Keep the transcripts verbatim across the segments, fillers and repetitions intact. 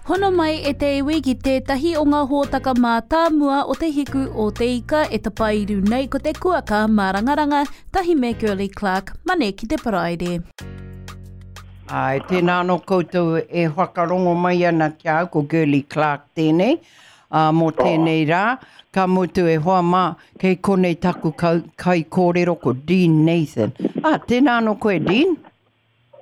Hono mai e te iwi ki tētahi o ngā hōtaka mātāmua o te hiku o te ika e tapairu nei ko te kuaka mārangaranga tahi me Girlie Clark, mane ki te paraire. Ai, tēnā anō koutou e whakarongo mai ana ki a au, ko Girlie Clark tēnei, uh, mō tēnei rā, ka mutu e hoa mā, kei konei taku kai kōrero ko Dean Nathan. Ah, tēnā anō koe, Dean?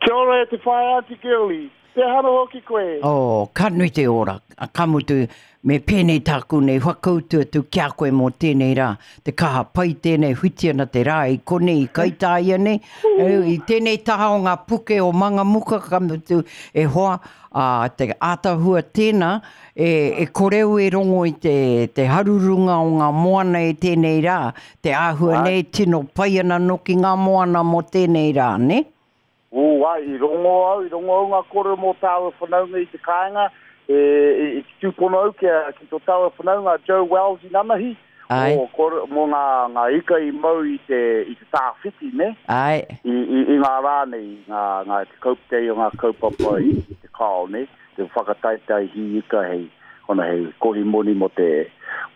Kia ora e te whaea Aunty Girlie. Te hara hoki koe. Oh, ka nui te ora. Ka mutu, me pēnei tāku nei whakautu atu ki a koe mō tēnei rā. Te kaha pai tēnei whiti ana te rā i konei i Kaitāia nei. I tēnei taha o ngā puke o Mangamuka, ka mutu e hoa, a, te ātahua tēnā, e, e koreu e rongo i te, te harurunga o ngā moana i tēnei rā. Te āhua nei tino pai ana noki ngā moana mō tēnei rā, ne? Ū, ai, i rongo au, i rongo au ngā kōrero mō tāua whanaunga i te kāinga, e, i, i te tūpono au ki, a, ki tō tāua whanaunga Joe Wells i nanahi, Ai. o, kore, mō ngā, ngā ika i mau i te, i te tāwhiti, ne? Ai. I, i, i ngā rā nei, ngā, ngā te kauptei o ngā kaupapa i, i te kao, ne? Te whakataitai hi ika hei, ona hei kohi moni mō te,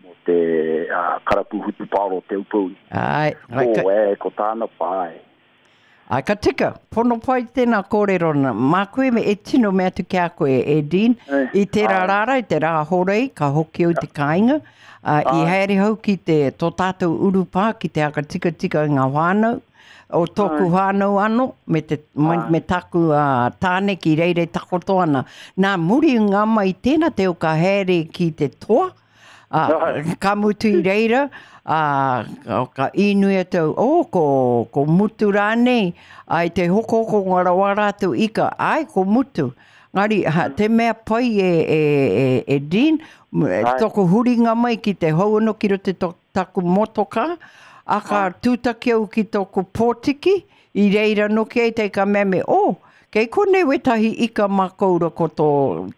mō te uh, karapu hutupāro te upouri. Ai. Ai, O, ka, e, ko tāna pai. ai, ka tika, pono pai tēnā kōrero na. Mā koe me e tino mea atu ki a koe, e Dean. Eh, I tērā ai. rāra, i te rā horei, ka hoki au te kāinga. Uh, i Ai. haere hau ki te tō tātou urupā, ki te aka tika tika i ngā whānau, o tōku Ai. whānau anō, me, te, me, Ai. me taku uh, tāne ki reire takoto ana. Nā, muri ngā mai tēnā te o ka haere ki te toa, uh, Ai. ka mutu i reira, uh, ka, ka inui atu, oh, ko, ko mutu rānei, ai te hokohoko ngā rawa rātou ika, ai, ko mutu. Ngari, ha, te mea pai e, e, e, e Dean, m- Ai. toko huringa mai ki te hau anō ki roto to, taku motoka, a ka tūtaki au ki tōku pōtiki, i reira noki ai te ka mea me, oh, kei konei wetahi ika mā koura ko tō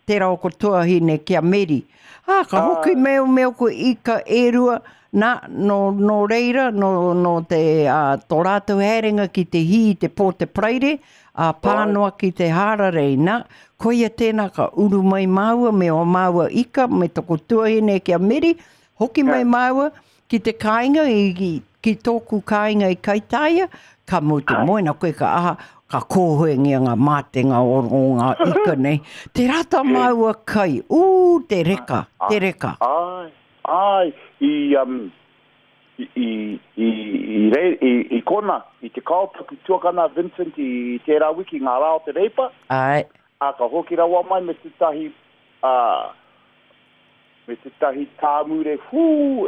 tērā o ko tuahine ki a Meri. Ah, ka hoki meo meo ko ika e rua, nā, no, no reira, no, no te, uh, tō rātou haerenga ki te hī, te pō te praire, a pānoa ki te hārarei, nā, koia tēnā ka uru mai māua me o māua ika, me toko tuahine ki a Meri, hoki mai māua ki te kāinga, i, ki, ki tōku kāinga i Kaitāia, ka mutu moena koe ka aha, ka kōhuengia ngā mātenga o, o ngā ika nei. Te rata māua kai, ū, te reka, te reka. Ai, ai, i, um, i, i, i, i, re, i, i kona, i te kao taku tuakana Vincent i tērā wiki ngā rā o te reipa, Ai, a ka hoki rawa mai me tētahi, uh, me tētahi tāmure, hū,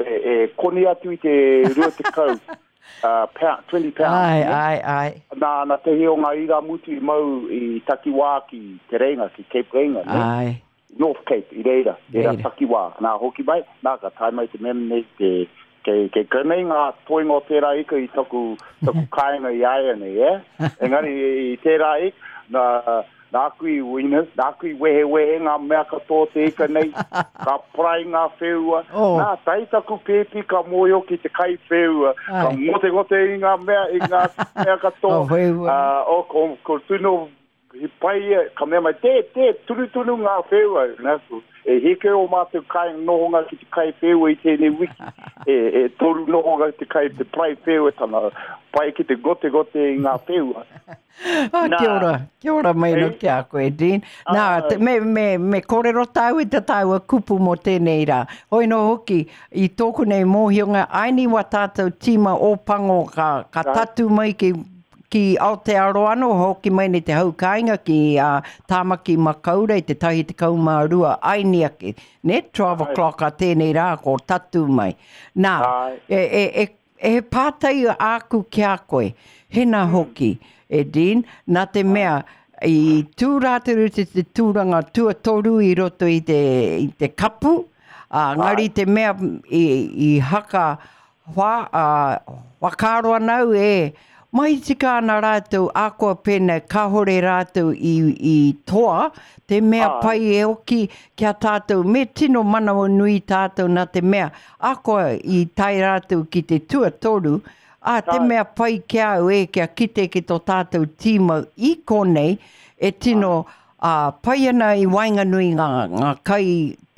e, e koni atu i te rua tekau, uh, pound, twenty pounds. ai, ne? ai, ai, Nā, nā tehi o ngā ira mutu i mau i takiwā ki Te Reinga, ki Cape Reinga, ne? ai. North Cape, i reira, reira Reira. takiwā. Nā, hoki mai, nā, ka tae mai te mea nei, te, kei, kei konei ngā toinga o tērā ika i taku, taku kāinga i aia nei, eh? Engari i, i tērā ika, nā, nāku i wina, nāku i wehewehe ngā mea katoa te ika nei, ka parai ngā wheua. Oh. Nā, tai taku pēpi ka mōhio ki te kai wheua, ka Ai. ngote-ngote i ngā mea, i ngā mea katoa. O wheua. Ah, o, ko, ko tino, he pai ia, ka mea mai, te, te, tunu tunu ngā wheua. Nā, ko- e heke o mātou kai nohonga ki te kai wheua i tēnei wiki. E, e toru nohonga ki te kai, te parai wheua tana, pai ki te gote-gote i ngā wheua. Ah, Nā. kia ora, kia ora mai no Eh? ki a koe, Dean. Nā, Ai. te, me, me, me kōrero tāu i te tāua kupu mō tēnei rā. Hoi no hoki, i tōku nei mōhionga, aini wā tātou tīma o pango ka, ka Ai. tatu mai ki, ki Aotearoa anō, hoki mai nei te hau kāinga ki uh, Tāmaki Makaurau i te tahi te kaumā rua aini ake. Ne, twelve Ai. o'clock a tēnei rā ko tatu mai. Nā, Ai. e, e, e, e pātai āku ki a koe, hena hoki, e Dean, nā te mea, i tū rātou te, te tūranga tuatoru i roto i te, i te kapu, ā, ngari te mea i, i haka wha, uh, whakaaro ana au e, mai tika ana rātou akoa pēnei, kāhore rātou i, i toa, te mea Ai. pai e oki kia tātou, me tino manawa nui tātou nā te mea, akoa i tae rātou ki te tuatoru, a te Ai. mea pai ki au e, kia kite ki tō tātou tīma i konei, e tino uh, pai ana i waenganui ngā, ngā kai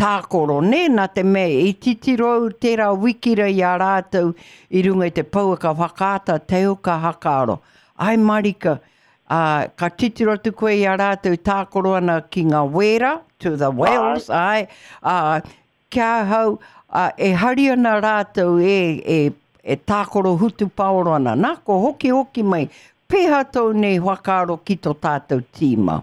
tākoro, nē, nā te mea i titiro au tērā wikira i a rātou i runga i te pouaka whakaata te uka hakaaro. Ai marika, uh, ka titiro atu koe i a rātou tākoro ana ki ngā wēra, to the whales, ai, uh, kia ahau, uh, e hari ana rātou e, e, e tākoro hutupaoro ana. Nā, ko hoki hoki mai, pēhā tōu nei whakaaro ki tō tātou tīma?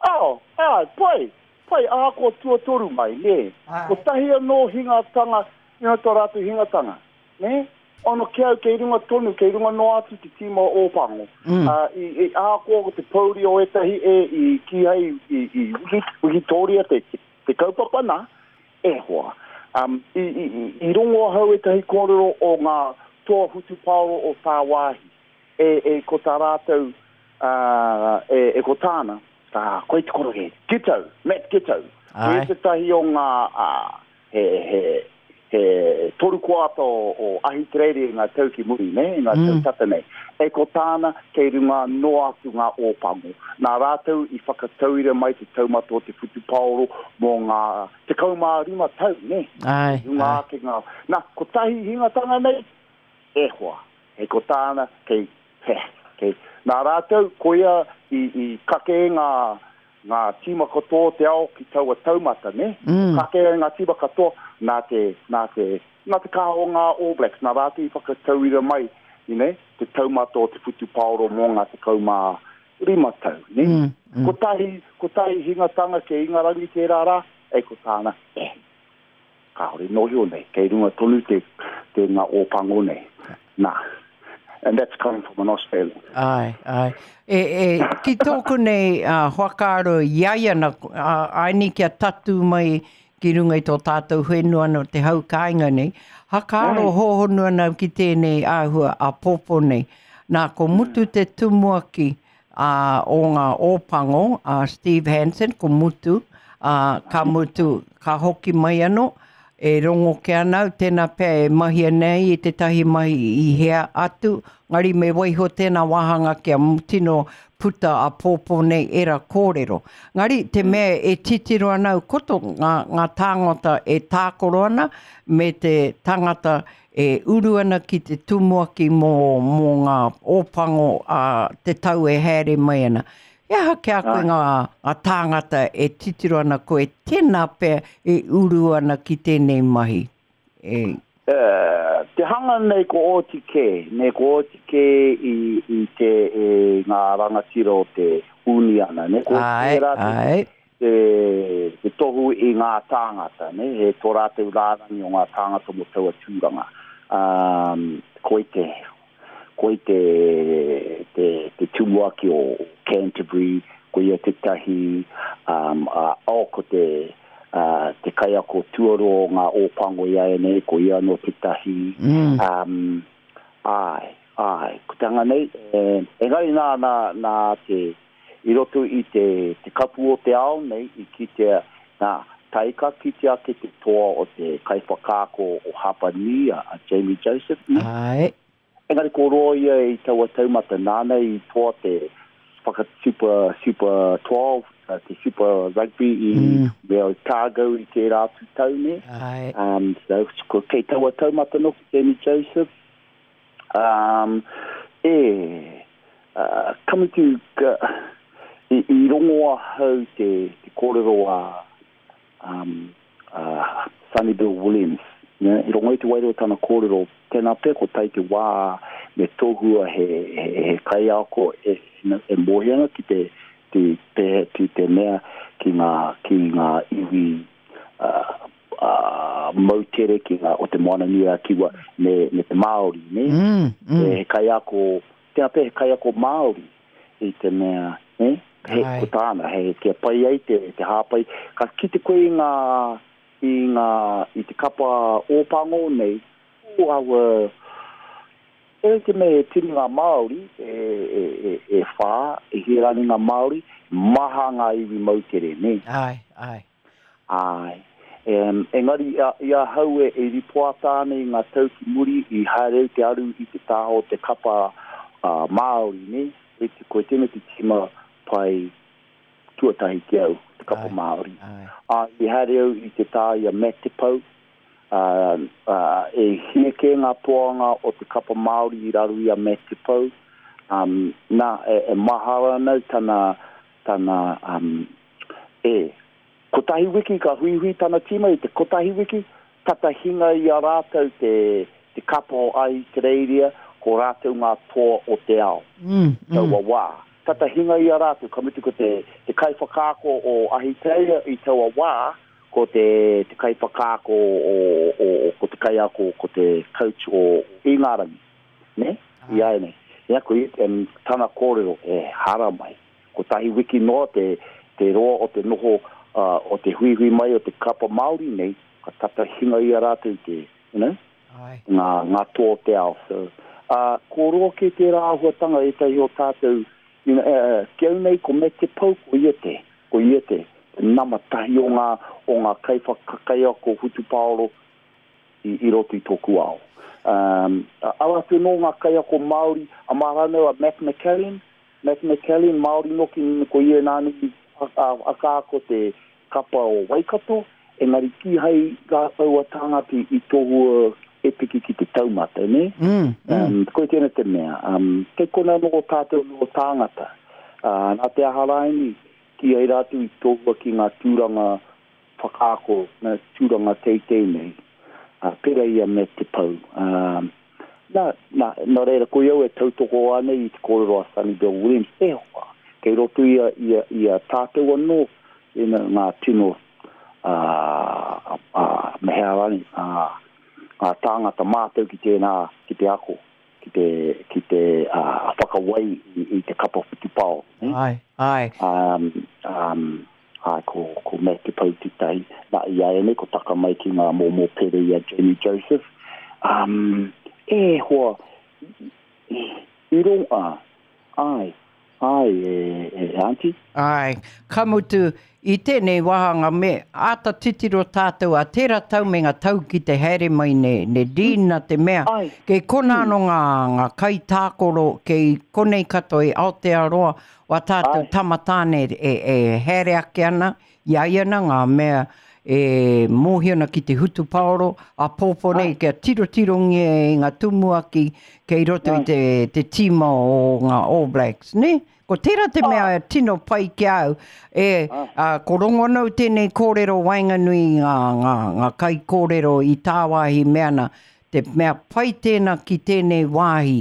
Oh, ai, pai, pai, ahakoa tuatoru mai, nē. Ai. Kotahi anō hingatanga, you know, tō rātou hingatanga, nē? Ono ki au, kei runga tonu, kei runga noa atu te tīma o Ōpango. Mm. Uh, i, i ahakoa ko te pouri o ētahi e i kīhai i, i wiki, Wikitoria te, te, te kaupapa nā, e hoa. Um, i, i, i, i rongo ahau ētahi kōrero o ngā toa hutupaoro o tāwāhi. E, e ko tā rātou, uh, e, e ko tāna, uh, koe te koroke, Giteau, Matt Giteau. Ai. Ko tētahi o ngā, uh, he, he, he toru koata o, o Ahitereiria i ngā tau ki muri, ne, i ngā tau Mm. tata nei. E ko tāna, kei runga noa atu ngā Ōpango. Nā rātou i whakatauira mai te taumata o te whutupaoro mō ngā tekau mā rima tau, ne? Ai, Runga ai. ake ngā. Nā, kotahi hingatanga nei, e hoa. E ko tāna, kei, he, kei. Nā rātou, koia i, i kake ngā, ngā tīma katoa o te ao ki taua taumata, ne? Mm. Kake ngā tīma katoa, nā te, nā te, nā te kaha o ngā All Blacks, nā rātou i whakatauira mai, you know, te taumata o te whutupaoro mō ngā tekau mā rima tau, ne? Mm, mm. Kotahi, kotahi hingatanga ke Ingarangi tērā rā, e ko tāna, eh, kāore nohio nei, kei runga tonu te, te ngā Ōpango nei. Nā, and that's coming from an Australian. Ai, ai. E, e, ki tōku nei uh, whakaaro i ai ana, uh, ai ni kia tatu mai ki runga i tō tātou whenua no te hau kāinga nei, hakaaro Ai. hōhonu ana ki tēnei āhua a pōpō nei. Nā, ko mutu te tumuaki uh, o ngā Ōpango, uh, Steve Hansen, ko mutu, uh, ka mutu, ka hoki mai anō, e rongo ke ana au, tēnā pea e mahia nei i tētahi mahi i hea atu, ngari me waiho tēnā wāhanga kia tino puta a pōpō nei era kōrero. Ngari te mea e titiro ana au koto ngā, ngā tāngata e tākoro ana me te tangata e uru ana ki te tumuaki mō, mō ngā Ōpango a te tau e haere mai ana. E aha ki a koe Ai. ngā, ngā tāngata e titiro ana koe tēnā pea e uru ana ki tēnei mahi. E, Eh, te hanga nei ko oti kē, nei ko oti kē i, i te e, ngā rangatira o te uniana, ne? Ko ai, tērā te, ai. te, te tohu i ngā tāngata, ne? He tō rātou rārangi o ngā tāngata mō taua tūranga. Um, koe te, koe te, te, te tumuaki o Canterbury, ko ia tētahi, um, uh, o ko te, uh, te kaiako tuaro o ngā Ōpango i ai nei, ko ia anō tētahi. Mm. Um, ai, ai, ko te hanga nei, e, engari nā, nā, nā te, i roto i te, te kapu o te ao nei, i kitea, nā, taika kitea ake te toa o te kaiwhakaako o Hapani, a, a Jamie Joseph, ne? Ai. Engari ko roa ia i taua taumata nāna i toa te whaka Super, Super twelve, uh, te Super Rugby i Mm. me Otago i tērā atu tau nei. Ai. Um, so, ko kei taua taumata noki Jamie Joseph. Um, e, uh, ka mutu, ka, i, i rongo ahau te, te kōrero a um, uh, Sonny Bill Williams. Ne, i rongo i te wairua tana kōrero, tēnā pea ko tai te wā me tohua he, he, he kaiako e, e mohi ana ki te, te, te, te, te mea ki ngā, ki ngā iwi uh, uh, moutere ki ngā o te Moana Nui a Kiwa me, me te Māori, ne? Mm, mm. E, he kaiako, tēnā pea he kaiako Māori i te mea, ne? He, Ai. ko tāna, he, kia pai ai te, te hāpai. Ka kite koe i ngā, i ngā, i te kapa Ōpango nei, o aua, e te mea he tini ngā Māori, e, e, e, e whā, e hirani ngā Māori, maha ngā iwi moutere, ne? Ai, ai. Ai. Em, engari i a, i ahau e, e ripoata ana i ngā tau ki muri i haere te aru i te taha o te kapa uh, Māori, ne? Koe te, koe tēnei te tima pai tuatahi ki au, te kapa Ai. Māori. Ai. A, i haere au i te tā i a Matt Te Pau, uh, uh, e hie kē ngā toanga o te kapa Māori i raro i a Matt Te Pau. Um, nā, e, e mahara ana tana, tana, um, e, kotahi wiki ka huihui tana tīma i te kotahi wiki, tata hinga i a rātou te, te kapa o Ahitereiria, ko rātou ngā toa o te ao. Mm, mm. Taua wā. Tata hinga i a rātou, ka mutu ko te, te kaiwhakaako o Ahitereiria i taua wā, ko te, te kaiwhakaako o, o, o, ko te kaiako, ko te coach o Ingarangi, ne? I ai nei. Ia, ko i, em, tana kōrero, e hara mai. Kotahi wiki noa te, te roa o te noho, uh, o te huihui mai o te kapa Māori nei, ka tata hinga i a rātou te, you know, Ai. ngā, ngā toa o te ao. So, uh, ko roa ke tērā āhuatanga ētahi o tātou, you know, uh, ki au nei ko Matt Te Pau, ko ia te, ko ia te, te nama tahi o ngā, o ngā kaiwhakakaiako hutupaoro i, i roto i tōku ao. Um, ara atu nō ngā kaiako Māori, a māranau a Matt McCallion, Matt McCallion, Māori noki ko ia nāni a, a, a kāko te kapa o Waikato, engari kīhai rātou a tāngata i tohua e piki ki te taumata, ne? Mm, mm. Um, koe tēnā te mea. Um, kei kona nō tātou nō tāngata. Uh, nā te aha rāini, ki ai rātou i tohua ki ngā tūranga whakaako, ngā tūranga teitei nei. Uh, pera ia me Te Pau. Um, nā, nā, nā reira, ko au e tautoko ana i te kōrero a Sonny Bill Williams, e hoa, kei roto ia, ia, ia tātou anō, ina ngā tino, uh, uh, mehea rani, uh, ngā tāngata mātou ki tēnā, ki te ako, ki te, ki te uh, whakawai i, i te kapa whutupao. Ne? Ai, ai. Um, um, ai, ko, ko Matt Te Pau tētahi, nā i a ene, ko taka mai ki ngā mōmō pere i a Jamie Joseph. Um, e hoa, i, i ronga, ai, ai, e, e, auntie. Ai, ka mutu, i tēnei wāhanga me āta titiro tātou a tērā tau me ngā tau ki te haere mai ne, ne Dean na te mea. Ai. Kei kona anō ngā, ngā kaitākoro, kei konei katoa i Aotearoa, wa tātou Ai. tamatāne e, e haere ake ana, i ai ana ngā mea e mōhio ana ki te hutupaoro, a pōpō nei kia tirotirongia e ngā tumuaki kei roto i Ai. te, te tīma o ngā All Blacks, ne? Ko tērā te mea e tino pai ki au, e, a, ko rongo anau tēnei kōrero waenganui ngā, ngā, ngā kaikōrero i tāwāhi mea ana, te mea pai tēnā ki tēnei wāhi,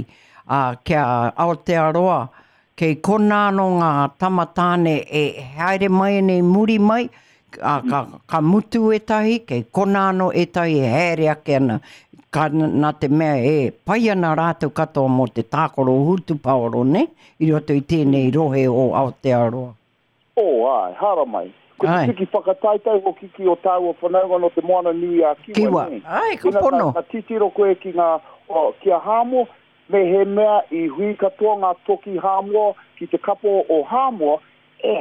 a, kia Aotearoa, kei kona anō ngā tamatāne e haere mai nei muri mai, a, ka, ka mutu ētahi, kei kona anō ētahi e haere ake ana, ka, nā te mea e pai ana rātou katoa mō te tākaro hutupaoro, ne? I roto i tēnei rohe o Aotearoa. Oh, ai, hara mai. Ko te Ai. tiki whakataetae hoki ki o tāua whanaunga no te Moana Nui a Kiwa. Kiwa. Ne? Ai, ka Ina pono. Ka, ka titiro koe ki ngā, o, ki a Hāmoa, me he mea i hui katoa ngā toki Hāmoa ki te kapo o Hāmoa, e,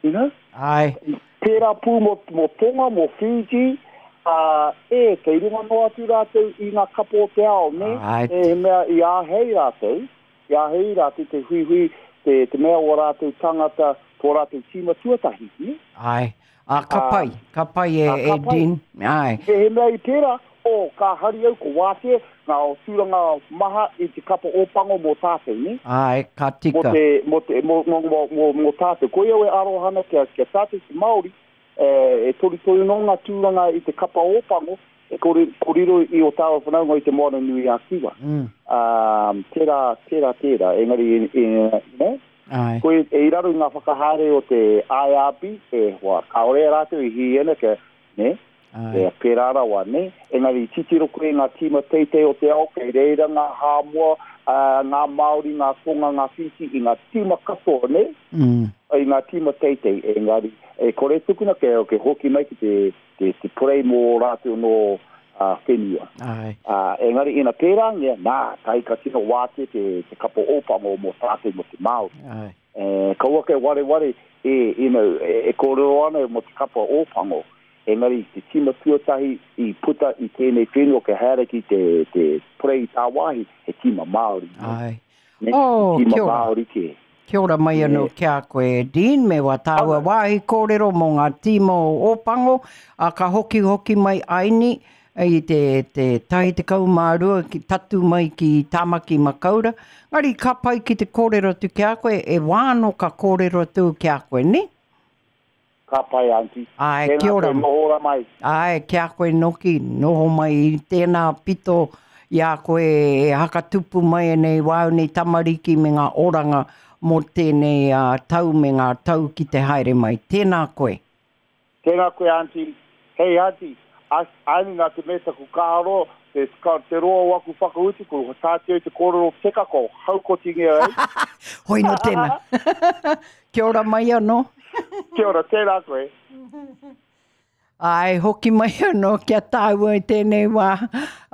you know? Ai, Tērā pū mō, mō Tonga, mō Fiji, uh, e, kei runga noa atu rātou i ngā kapo o te ao, ne? Ai. E, he mea i āhei rātou, i āhei rātou te huihui, te, te mea o rātou tangata, tō rātou tīma tuatahi, ne? ai. A, ka Ah. pai, ka pai e, Ah, ka e pai. Dean. Ai, He he mea i tērā, o, ka hari au, ko wātea, ngā o tūranga maha i te kapa ōpango mō tātou, ne? ai, ka Mō tika. te, mō te, mō, mō, mō, mō, mō tātou. Ko au e arohana kia, kia tātou te Māori, e, e torutoru nō ngā tūranga i te kapa ōpango, e kore, koriro i o tāua whanaunga i te Moana Nui a Kiwa. Mm. Um, tērā, tērā, tērā, engari, e, e, ne? Ai. Ko e, e i raro i ngā whakahaere o te I R B, e hoa, kāore rātou i hiena kia, ne? Ai. E pērā rawa, ne? Engari titiro koe ngā tīma teitei o te ao, kei reira ngā Hāmoa, uh, ngā Māori, ngā Tonga, ngā Fiji, i ngā tīma katoa, ne? Mm. I ngā tīma teitei, engari, e kore tukuna ke, ke hoki mai ki te, te, te porei mō rātou no uh, whenua. Ai. Uh, engari ina pērāngia, nā, tai ka tino wāte te, te kapo ōpango mō tātou mō te Māori. Ai. E, kaua ke wareware, e, you know, e, e kōrero ana mō te kapa ōpango. Engari te tīma tuatahi i puta i tēnei whenua ke haere ki te, te porei i tāwāhi, he tīma Māori. Ai. Ne? Oh, He tīma kia ora. Māori ke. Kia ora mai anō ki a koe, Dean, me wā tāua wāhi kōrero mō ngā tīma o Ōpango, a ka hoki hoki mai aini i te, te tahi tekau mā rua ki tatu mai ki Tāmaki Makaura. Ngari ka pai ki te kōrero atu ki a koe, e wā anō ka kōrero atu ki a koe, ne? Ka pai, auntie. Āe, Tēnā kia ora. koe, noho ora mai. Āe, ki a koe noki, noho mai i tēnā pito i a koe e hakatupu mai nei wāu nei tamariki me ngā oranga mō tēnei uh, tau me ngā tau ki te haere mai. Tēnā koe. Tēnā koe, auntie. Hei, auntie, aini nā te mea taku kāro, te, ka, te roa o aku whakautu, ko tāteu te kōrero teka ko haukotingia ai. Hoi no tēnā. Kia ora mai anō. Kia ora, tēnā koe. Ai, hoki mai anō kia tāua i tēnei wā.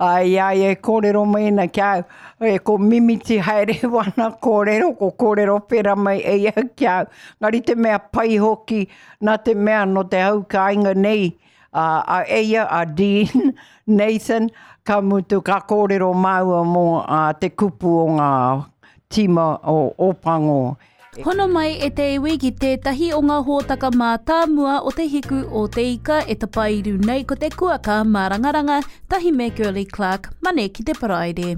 Ai, ai, e kōrero mai ana kia au. E ko mimiti haere wana kōrero, ko kōrero pera mai e ia kia au. Ngari te mea pai hoki, nā te mea no te hau kāinga nei, a, a eia, a Dean, Nathan, ka mutu ka kōrero māua mō a, te kupu o ngā tīma o Ōpango. Hono mai e te iwi ki tētahi o ngā hōtaka mātāmua o te hiku o te ika e tapairu nei ko te kuaka mārangaranga, tahi me Girlie Clark, mane ki te paraire.